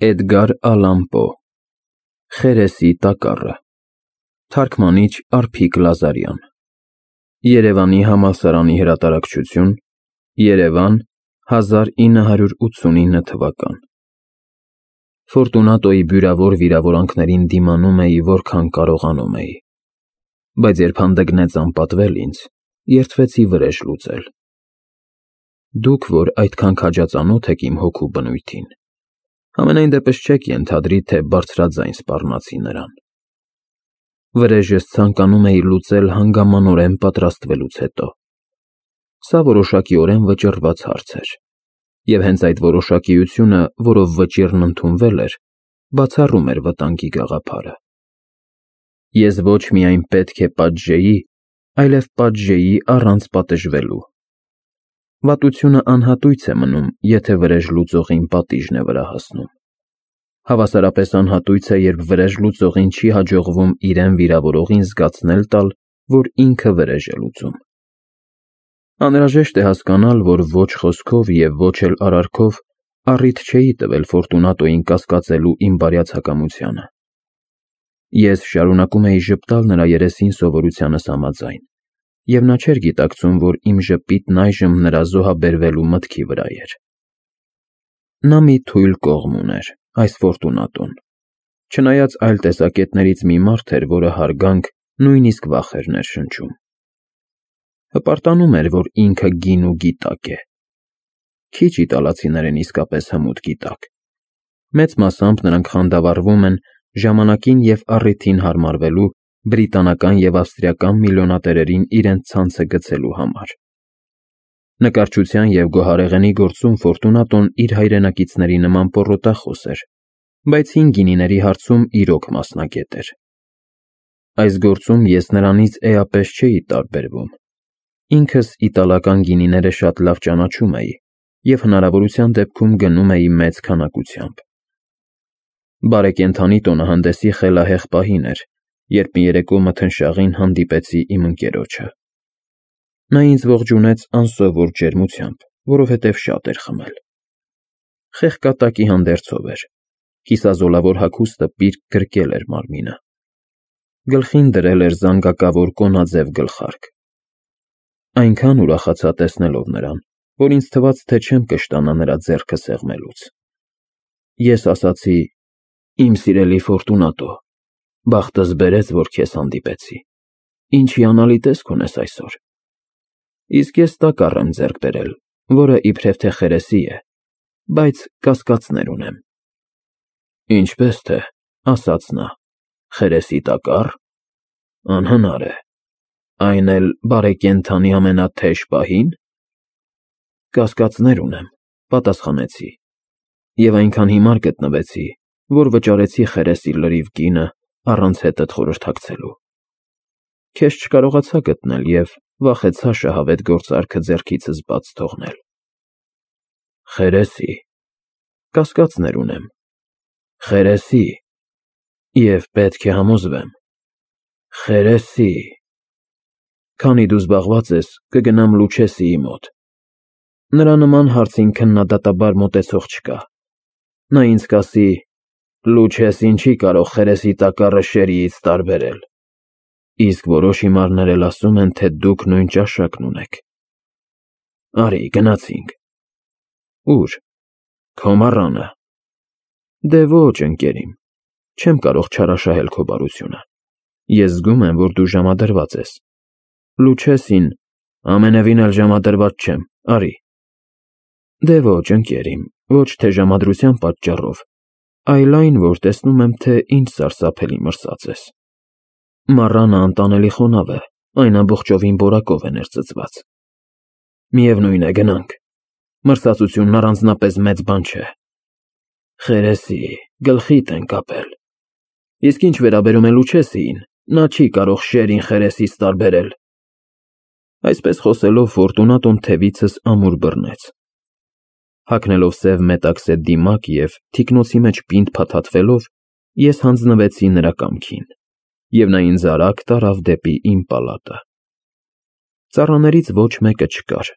Էդգար Ալան Պո Խերեսի տակառը Թարգմանիչ Արփիկ Լազարյան Երևանի համալսարանի հրատարակչություն Երևան 1989 թվական Ֆորտունատոյի բյուրավոր վիրավորանքներին դիմանում էի որքան կարողանում էի, բայց երբ հանդգնեց անպատվել ինձ, երդվեցի վրեժ լուծել։ Դուք, որ այդքան քաջածանոթ եք իմ հոգու բնույթին, համենայն դեպս չեք ենթադրի, թե բարձրաձայն սպառնացի նրան։ Վրեժս ցանկանում էի լուծել հանգամանորեն պատրաստվելուց հետո։ Սա որոշակիորեն վճռված հարց էր, և հենց այդ որոշակիությունը, որով վճիռն ընդունվել էր, բացառում էր վտանգի գաղափարը։ Ես ոչ միայն պետք է պատժեի, այլև պատժեի առանց պատժվելու։ Վատությունը անհատույց է մնում, եթե վրեժ լուծողին պատիժն է վրա հասնում։ Հավասարապես անհատույց է, երբ վրեժ լուծողին չի հաջողվում իրեն վիրավորողին զգացնել տալ, որ ինքը վրեժ է լուծում։ Անհրաժեշտ է հասկանալ, որ ոչ խոսքով և ոչ էլ արարքով առիթ չէի տվել Ֆորտունատոյին կասկածելու իմ բարյացակամությանը։ Ես շարունակում էի ժպտալ նրա երեսին սովորությանս համաձայն, և նա չէր գիտակցում, որ իմ ժպիտն այժմ նրա զոհաբերվելու մտքի վրա էր։ Նա մի թույլ կողմ ուներ, այս Ֆորտունատոն, չնայած այլ տեսակետներից մի մարդ էր, որը հարգանք, նույնիսկ վախ էր ներշնչում։ Հպարտանում էր, որ ինքը գին ու գիտակ է։ Քիչ իտալացիներ են իսկապես հմուտ գիտակ։ Մեծ մասամբ նրանք խանդավառվում են ժամանակին և առիթին հարմարվելու բրիտանական և ավստրիական միլիոնատերերին իրենց ցանցը գցելու համար։ Նկարչության և գոհարեղենի գործում Ֆորտունատոն իր հայրենակիցների նման պոռոտախոս էր, բայց հին գինիների հարցում իրոք մասնագետ էր։ Այս գործում ես նրանից էապես չէի տարբերվում։ Ինքս իտալական գինիները շատ լավ ճանաչում էի և հնարավորության դեպքում գնում էի մեծ քանակությամբ։ Բարեկենդանի տոնահանդեսի խելահեղ պահին էր, երբ մի երեկո մթնշաղին հանդիպեցի իմ ընկերոջը։ Նա ինձ ողջունեց անսովոր ջերմությամբ, որովհետև շատ էր խմել։ Խեղկատակի հանդերձով էր, կիսազոլավոր հագուստը պիրկ գրկել էր մարմինը։ Գլխին դրել էր զանգակավոր կոնաձև գլխարկ։ Այնքան ուրախացա տեսնելով նրան, որ ինձ թվաց, թե չեմ կշտանա նրա ձեռքը սեղմելուց։ Ես ասացի. «Իմ սիրելի Ֆորտունատո, բախտս բերեց, որ քեզ հանդիպեցի։ Ինչ հիանալի տեսք ունես այսօր։ Իսկ ես տակառ եմ ձեռք բերել, որը իբրև թե խերեսի է, բայց կասկածներ ունեմ»։ «Ինչպես թե», ասաց նա, «խերեսի տակառ։ Անհնար է։ Այն էլ բարեկենդանի ամենաթեժ պահի՞ն»։ «Կասկածներ ունեմ», պատասխանեցի, և այնքան հիմար գտնվեցի, որ վճարեցի խերեսի լրիվ կինը առանց հետդ խորհրդակցելու։ Քեզ չկարողացա գտնել և վախեցա շահավետ գործարքը ձեռքիցս բաց թողնել։ «Խերեսի», կասկածներ ունեմ։ «Խերեսի», և պետք է համոզվեմ։ «Խերեսի»։ Քանի դու զբաղված ես, կգնամ Լուչեսիի մոտ։ Նրա նման հարցին քննադատաբար մոտեցող չկա։ Նա ինձ կասի. «Լուչեսին չի կարող խերեսի տակառը շերիից տարբերել»։ Իսկ որոշ հիմարներ էլ ասում են, թե դուք նույն ճաշակն ունեք։ Արի, գնացինք։ Ո՞ւր։ Քո մառանը։ Դե ոչ, ընկեր իմ, չեմ կարող չարաշահել քո բարությունը։ Ես զգում եմ, որ դու ժամադրված ես։ Լուչեսին ամենևին էլ ժամադրված չեմ, արի։ Դե ոչ, ընկեր իմ, ոչ թե ժամադրության պատճառով, այլ այն, որ տեսնում եմ, թե ինչ սարսափելի մրսած ես։ Մառանը անտանելի խոնավ է, այն ամբողջովին որակով է ներծծված։ Միևնույն է, գնանք։ Մրսածությունն առանձնապես մեծ բան չէ։ Խերեսի, գլխիդ են կապել։ Իսկ ինչ վերաբերում է Լուչեսիին, նա չի կարող շերին խերեսից տարբերել։ Այսպես խոսելով Ֆորտունատոն թևիցս ամուր բռնեց։ Հագնելով սև մետաքսե դիմակ և թիկնոցի մեջ պինդ փաթաթվելով, ես հանձնվեցի նրա կամքին, և նա ինձ արագ տարավ դեպի իմ պալատը։ Ծառաներից ոչ մեկը չկար։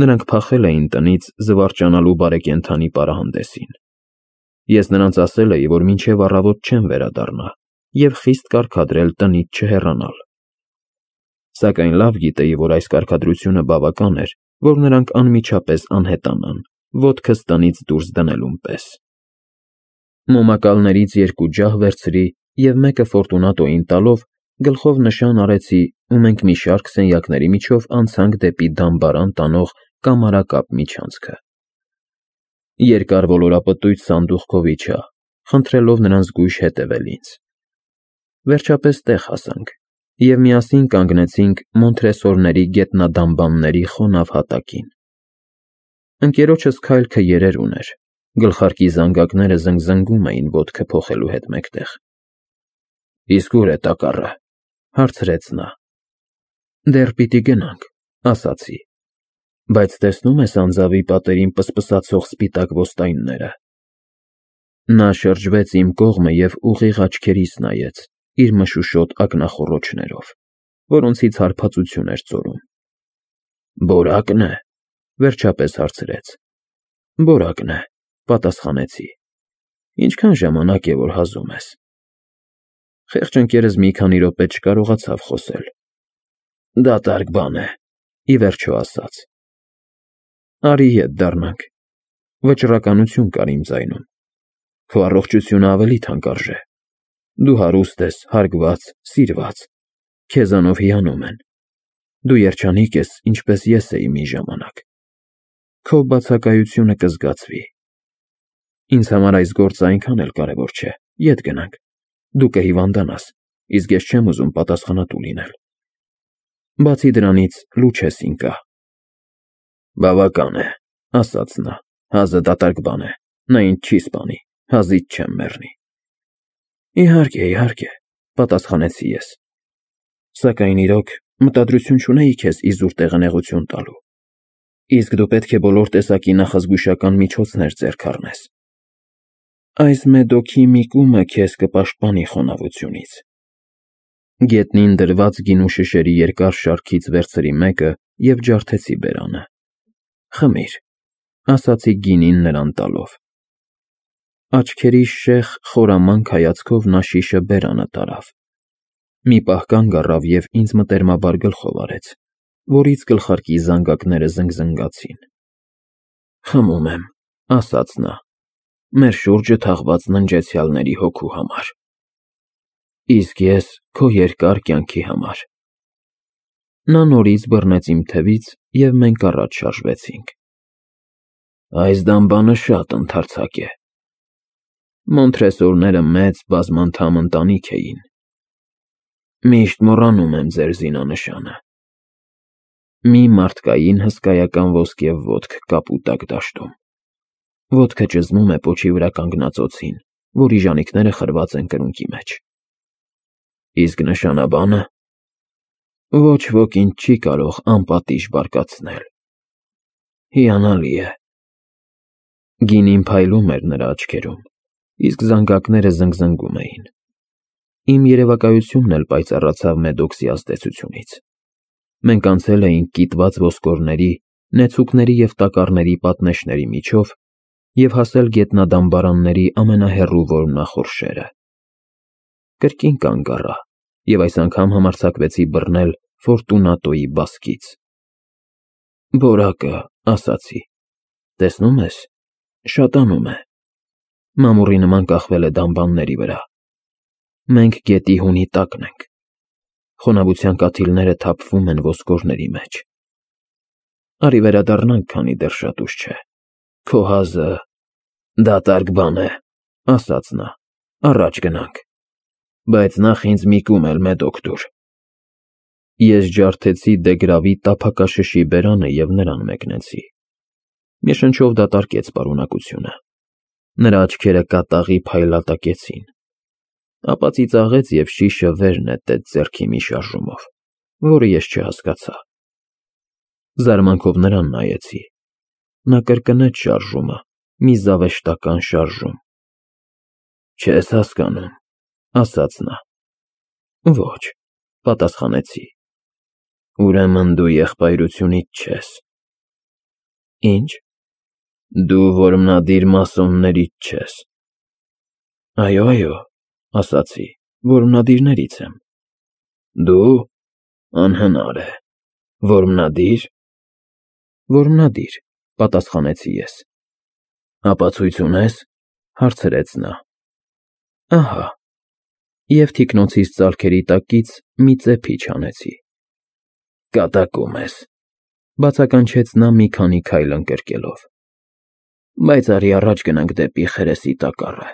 Նրանք փախել էին տնից զվարճանալու բարեկենդանի պարահանդեսին։ Ես նրանց ասել էի, որ մինչև առավոտ չեմ վերադառնա և խիստ կարգադրել տնից չհեռանալ։ Սակայն լավ գիտեի, որ այս կարգադրությունը բավական էր, որ նրանք անմիջապես անհետանան, ոտքս տնից դուրս դնելուն պես։ Մոմակալներից 2 ջահ վերցրի և մեկը Ֆորտունատոյին տալով գլխով նշան արեցի ու մենք մի շարք սենյակների միջով անցանք դեպի դամբարան տանող կամարակապ միջանցքը։ Երկար ոլորապտույտ սանդուղքով իջա, խնդրելով նրան զգույշ հետևել ինձ։ Վերջապես տեղ հասանք և միասին կանգնեցինք Մոնթրեսորների գետնադամբանների խոնավ հատակին։ Ընկերոջս քայլքը երեր ուներ, գլխարկի զանգակները զնգզնգում էին ոտքը փոխելու հետ մեկտեղ։ Իսկ ուր է տակառը, հարցրեց նա։ Դեռ պիտի գնանք, ասացի, բայց տեսնում ես անձավի պատերին պսպսացող սպիտակ ոստայնները։ Նա շրջվեց իմ կողմը և ուղիղ աչքերիս նայեց իր մշուշոտ ակնախոռոչներով, որոնցից հարբածություն էր ծորում։ Բորակն է, վերջապես հարցրեց։ Բորակն է, պատասխանեցի։ Ինչքան ժամանակ է, որ հազում ես։ Խեղճ ընկերս մի քանի րոպե չկարողացավ խոսել։ Դատարկ բան է, ի վերջո ասաց։ Արի ետ դառնանք։ Վճռականություն կար իմ ձայնում։ Քո առողջությունը ավելի թանկարժե։ Դու հարուստ ես, հարգված, սիրված։ Քեզանով հիանում են։ Դու երջանիկ ես, ինչպես ես էի մի ժամանակ։ Քո բացակայությունը կզգացվի։ Ինձ համար այս գործը այնքան էլ կարևոր չէ։ Ետ գնանք։ Դու կհիվանդանաս, իսկ ես չեմ ուզում պատասխանատու լինել։ Բացի դրանից, լուչ ես ինկա։ Բավական է, ասաց նա, հազը դատարկ բան է, նա ինձ չի սպանի, հազից չեմ մեռնի։ Իհարկե, պատասխանեցի ես։ Սակայն իրոք մտադրություն չունեի քեզ իզուր տեղնեղություն տալու։ Իսկ դու պետք է բոլոր տեսակի նախազգուշական միջոցներ ձեռք առնես։ Այս մեդոքի մի կումը քեզ կպաշտպանի խոնավությունից։ Գետնին դրված գինու շշերի երկար շարքից վերցրի մեկը և ջարդեցի բերանը։ Խմիր, ասացի գինին նրան տալով։ Աչքերի շեղ խորամանկ հայացքով նա շիշը բերանը տարավ։ Մի պահ կանգ առավ և ինձ մտերմաբար գլխով արեց, որից գլխարկի զանգակները զնգզնգացին։ Խմում եմ, ասաց նա, մեր շուրջը թաղված ննջեցյալների հոգու համար։ Իսկ ես քո երկար կյանքի համար։ Նա նորից բռնեց իմ թևից և մենք առաջ շարժվեցինք։ Այս դամբանը շատ ընդարձակ է։ Մոնթրեսորները մեծ բազմանդամ ընտանիք էին։ Միշտ մոռանում եմ ձեր զինանշանը։ Մի մարդկային հսկայական ոսկե ոտք կապուտակ դաշտում։ Ոտքը ճզմում է պոչի վրա կանգնած օձին, որի ժանիքները խրված են կրունկի մեջ։ Իսկ նշանաբանը։ Ոչ ոք ինձ չի կարող անպատիժ բարկացնել։ Հիանալի է։ Գինին փայլում էր նրա աչքերում, իսկ զանգակները զնգզնգում էին։ Իմ երևակայությունն էլ պայծառացավ Մեդոքսի ազդեցությունից։ Մենք անցել էինք կիտված ոսկորների, նեցուկների և տակառների պատնեշների միջով և հասել գետնադամբարանների ամենահեռու որմնախորշերը։ Կրկին կանգ առա և այս անգամ համարձակվեցի բռնել Ֆորտունատոյի բասկից։ Բորակը, ասացի, տեսնում ես, շատանում է։ Մամուռի նման կախվել է դամբանների վրա։ Մենք գետի հունի տակն ենք։ Խոնավության կաթիլները թափվում են ոսկորների մեջ։ Արի վերադառնանք, քանի դեռ շատ ուշ չէ։ Քո հազը դատարկ բան է, ասաց նա, առաջ գնանք։ Բայց նախ ինձ մի կում էլ Մեդոք տուր։ Ես ջարդեցի դեգրավի տափակաշշի բերանը և նրան մեկնեցի։ Մի շնչով դատարկեց պարունակությունը։ Նրա աչքերը կատաղի փայլատակեցին։ Ապա ծիծաղեց և շիշը վեր նետեց ձեռքի մի շարժումով, որը ես չհասկացա։ Զարմանքով նրան նայեցի։ Նա կրկնեց շարժումը, մի զավեշտական շարժում։ Չես հասկանում, ասաց նա։ Ոչ, պատասխանեցի։ Ուրեմն դու եղբայրությունից չես։ Ինչ։ Դու որմնադիր մասոններից չես։ Այո, ասացի, որմնադիրներից եմ։ Դու, անհնար է, որմնադիր։ Որմնադիր, պատասխանեցի ես։ Ապացույց ունես, հարցրեց նա։ Ահա, և թիկնոցիս ծալքերի տակից մի ծեփիչ հանեցի։ Կատակում ես, բացականչեց նա մի քանի քայլ ընկրկելով։ Բայց արի առաջ գնանք դեպի Խերեսի տակառը։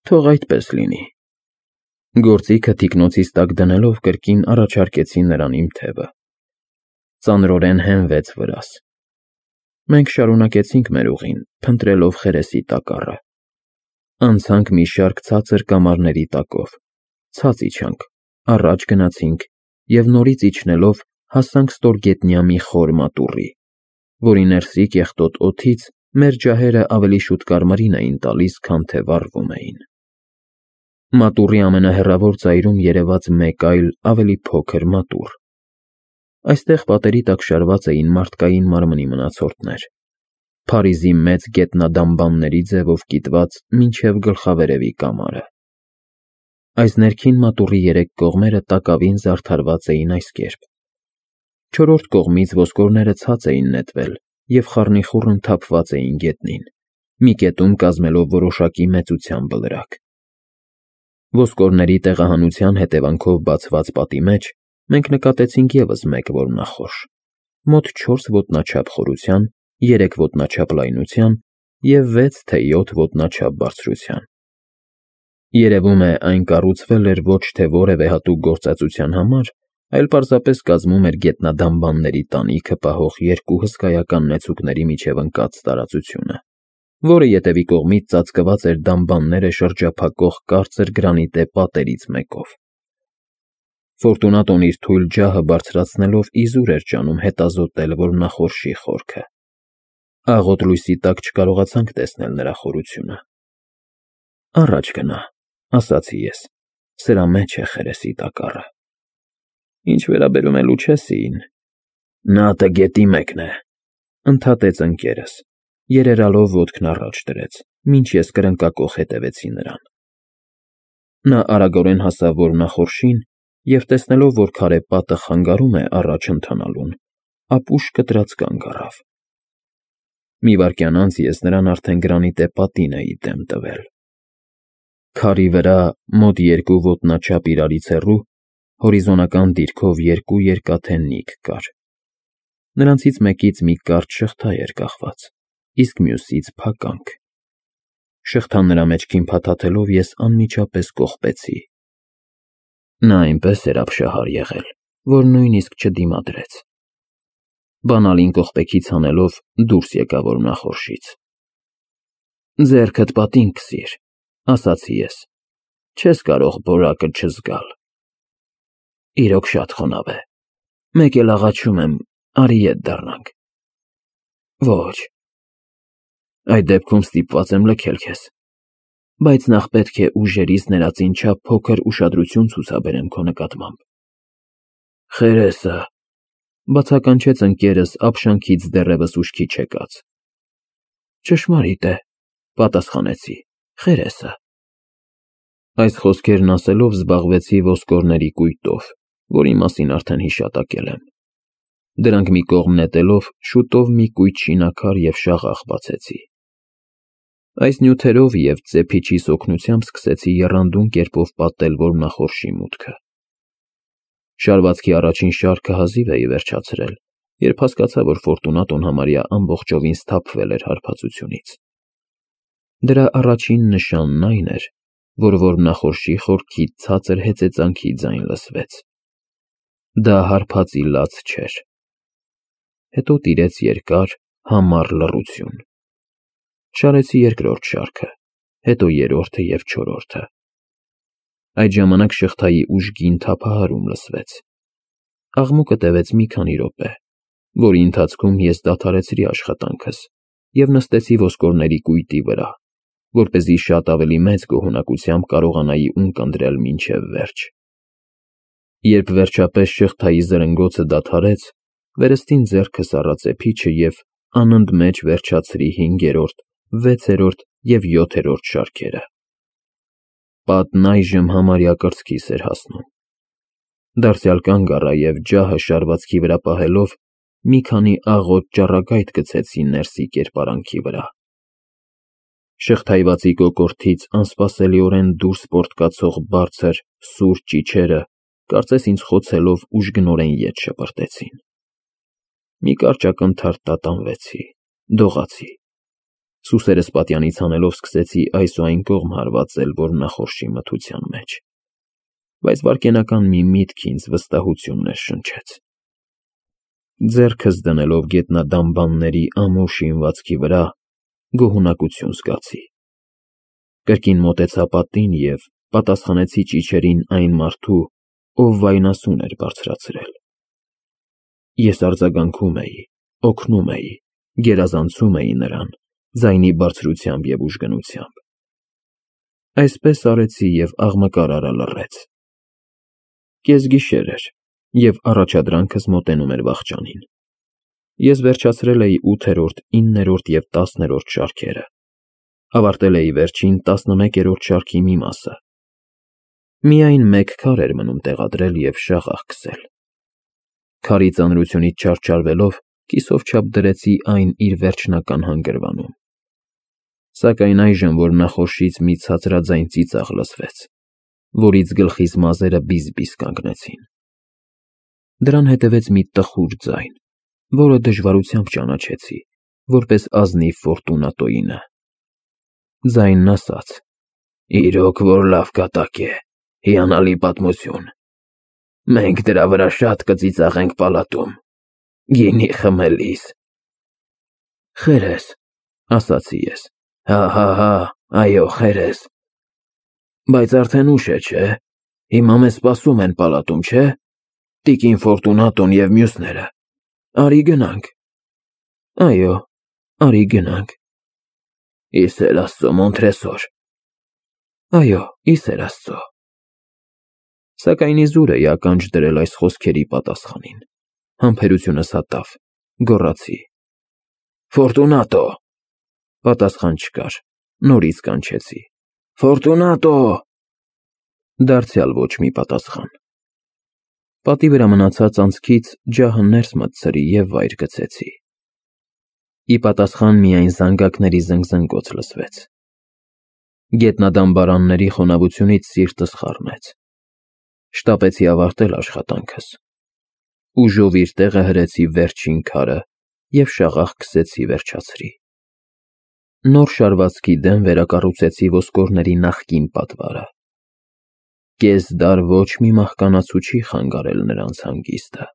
Թող այդպես լինի։ Գործիքը թիկնոցիս տակ դնելով կրկին առաջարկեցի նրան իմ թևը։ Ծանրորեն հենվեց վրաս։ Մենք շարունակեցինք մեր ուղին, փնտրելով Խերեսի տակառը։ Անցանք մի շարք ցածր կամարների տակով, ցած իջանք, առաջ գնացինք և նորից իջնելով հասանք ստորգետնյա մի խոր մատուռի, որի ներսի կեղտոտ օդից մեր ջահերը ավելի շուտ կարմիրին էին տալիս, քան թե վառվում էին։ Մատուռի ամենահեռավոր ծայրում երևաց մեկ այլ, ավելի փոքր մատուռ։ Այստեղ պատերի տակ շարված էին մարդկային մարմնի մնացորդներ, Փարիզի մեծ գետնադամբանների ձևով կիտված մինչև գլխավերևի կամարը։ Այս ներքին մատուռի երեք կողմերը տակավին զարդարված էին այս կերպ. չորրորդ կողմից ոսկորները ցած էին նետվել և խառնիխուռն թափված էին գետնին, մի կետում կազմելով որոշակի մեծության բլրակ։ Ոսկորների տեղահանության հետևանքով բացված պատի մեջ մենք նկատեցինք ևս մեկ որմնախորշ, մոտ 4 ոտնաչափ խորության, 3 ոտնաչափ լայնության և 6 թե 7 ոտնաչափ բարձրության։ Երևում է, այն կառուցվել էր ոչ թե որևէ հատուկ գործածության համար, այլ պարզապես կազմում էր գետնադամբանների տանիքը պահող երկու հսկայական նեցուկների միջև ընկած տարածությունը, որը ետևի կողմից ծածկված էր դամբանները շրջափակող կարծր գրանիտե պատերից մեկով։ Ֆորտունատոն իր թույլ ջահը բարձրացնելով իզուր էր ջանում հետազոտել որմնախորշի խորքը։ Աղոտ լույսի տակ չկարողացանք տեսնել նրա խորությունը։ Առաջ գնա, ասացի ես, սրա մեջ է Խերեսի տակառը։ Ինչ վերաբերում է Լուչեսիին, նա տգետի մեկն է, ընդհատեց ընկերս, երերալով ոտքն առաջ դրեց, մինչ ես կրնկակոխ հետևեցի նրան։ Նա արագորեն հասավ որմնախորշին և, տեսնելով, որ քարե պատը խանգարում է առաջ ընթանալուն, ապուշ կտրած կանգ առավ։ Մի վայրկյան անց ես նրան արդեն գրանիտե պատին էի դեմ տվել։ Քարի վրա, մոտ 2 ոտնաչափ իրարից հեռու, հորիզոնական դիրքով երկու երկաթե նիք կար։ Նրանցից մեկից մի կարճ շղթա էր կախված, իսկ մյուսից փականք։ Շղթան նրա մեջքին փաթաթելով ես անմիջապես կողպեցի։ Նա այնպես էր ապշահար եղել, որ նույնիսկ չդիմադրեց։ Բանալին կողպեքից հանելով դուրս եկա որմնախորշից։ Ձեռքդ պատին քսիր, ասացի ես, չես կարող որակը չզգալ։ Իրոք շատ խոնավ է, մեկ էլ աղաչում եմ, արի ետ դառնանք։ Ոչ։ Այդ դեպքում ստիպված եմ լքել քեզ, բայց նախ պետք է ուժերիս ներածին չափ փոքր ուշադրություն ցուցաբերեմ քո նկատմամբ։ Խերեսը, բացականչեց ընկերս ապշանքից դեռևս ուշքի չեկած։ Ճշմարիտ է, պատասխանեցի, Խերեսը։ Այս խոսքերն ասելով զբաղվեցի ոսկորների կույտով, որի մասին արդեն հիշատակել եմ։ Դրանք մի կողմ նետելով, շուտով մի կույտ շինաքար և շաղախ բացեցի։ Այս նյութերով և ծեփիչիս օգնությամբ սկսեցի եռանդուն կերպով պատել որմնախորշի մուտքը։ Շարվածքի առաջին շարքը հազիվ էի վերջացրել, երբ հասկացա, որ Ֆորտունատոն համարյա ամբողջովին սթափվել էր հարբածությունից։ Դրա առաջին նշանն այն էր, որ որմնախորշի խորքից ցածր հեծեծանքի ձայն լսվեց։ Դա հարբածի լաց չէր։ Հետո տիրեց երկար, համառ լռություն։ Շարեցի երկրորդ շարքը, հետո երրորդը և չորրորդը։ Այդ ժամանակ շղթայի ուժգին թափահարում լսվեց։ Աղմուկը տևեց մի քանի րոպե, որի ընթացքում ես դադարեցրի աշխատանքս և նստեցի ոսկորների կույտի վրա, որպեսզի շատ ավելի մեծ գոհունակությամբ կարողանայի ունկնդրել մինչև վերջ։ Երբ վերջապես շղթայի զրնգոցը դադարեց, վերստին ձեռքս առա ծեփիչը և անընդմեջ վերջացրի 5-րդ, 6-րդ և 7-րդ շարքերը։ պատն այժմ համարյա կրծքիս էր հասնում։ Դարձյալ կանգ առա և ջահը շարվածքի վրա պահելով մի քանի աղոտ ճառագայթ գցեցի ներսի կերպարանքի վրա։ Շղթայվածի կոկորդից անսպասելիորեն դուրս պոռթկացող բարձր, սուր ճիչերը, կարծես ինձ խոցելով ուժգնորեն ետ շպրտեցին։ Մի կարճ ակնթարթ տատանվեցի, դողացի։ Սուսերս պատյանից հանելով սկսեցի այս ու այն կողմ հարվածել, որ նախորժի մթության մեջ, բայց վայրկենական մի միտք ինձ վստահություն ներշնչեց։ Ձեռքս դնելով գետնադամբանների ամուր շինվածքի վրա, գոհունակություն զգացի։ Կրկին մոտեցա պատին և պատասխանեցի ճիչերին այն մարդու, ով վայնասուն էր բարձրացրել։ Ես արձագանքում էի, օգնում էի, գերազանցում էի նրան, ձայնի բարձրությամբ և ուժգնությամբ։ Այսպես արեցի և աղմկարարը լռեց։ Կեսգիշեր էր, և առաջադրանքս մոտենում էր վախճանին։ Ես վերջացրել էի 8-րդ, 9-րդ և 10-րդ շարքերը, ավարտել էի վերջին 11-րդ շարքի մի մասը։ Միայն մեկ քար էր մնում տեղադրել և շաղախ քսել։ Քարի ծանրությունից չարչարվելով, կիսով չափ դրեցի այն իր վերջնական հանգրվանում։ Սակայն այժմ, որ նախորշից մի ցածրաձայն ծիծաղ լսվեց, որից գլխիս մազերը բիզ-բիզ կանգնեցին։ Դրան հետևեց մի տխուր ձայն, որը դժվարությամբ ճանաչեցի, որպես ազնիվ Ֆորտունատոյինը։ Ձայնն ասաց. «Իրոք որ լավ կատակ է, հիանալի պատմություն։ Մենք դրա վրա շատ կծիծաղենք պալատում, գինի խմելիս»։ «Խերես», ասացի ես։ «Հա, այո, խերես։ Բայց արդեն ուշ է, չէ՞։ Հիմա մեզ սպասում են պալատում, չէ՞։ Տիկին Ֆորտունատոն և մյուսները։ Արի գնանք»։ «Այո, արի գնանք»։ «Ի սեր Աստծո, Մոնտրեսոր»։ «Այո, ի սեր Աստծո»։ Սակայն իզուր էի ականջ դրել այս խոսքերի պատասխանին։ Համբերությունս հատավ, գոռացի. «Ֆորտունատո»։ Պատասխան չկար, նորից կանչեցի. «Ֆորտունատո»։ Դարձյալ ոչ մի պատասխան։ Պատի վրա մնացած անցքից ջահը ներս մտցրի և վայր գցեցի։ Ի պատասխան միայն զանգակների զնգզնգոց լսվեց։ Գետնադամբարանների խոնավությունից սիրտս խառնեց։ Շտապեցի ավարտել աշխատանքս։ Ուժով իր տեղը հրեցի վերջին քարը և շաղախ քսեցի վերջացրի։ Նոր շարվածքի դեմ վերակառուցեցի ոսկորների նախկին պատվարը։ Կես դար ոչ մի մահկանացու չի խանգարել նրանց հանգիստը։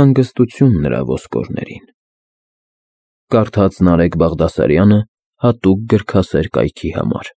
Հանգստություն նրա ոսկորներին։ Կարդաց Նարեկ Բաղդասարյանը հատուկ գրքասեր կայքի համար։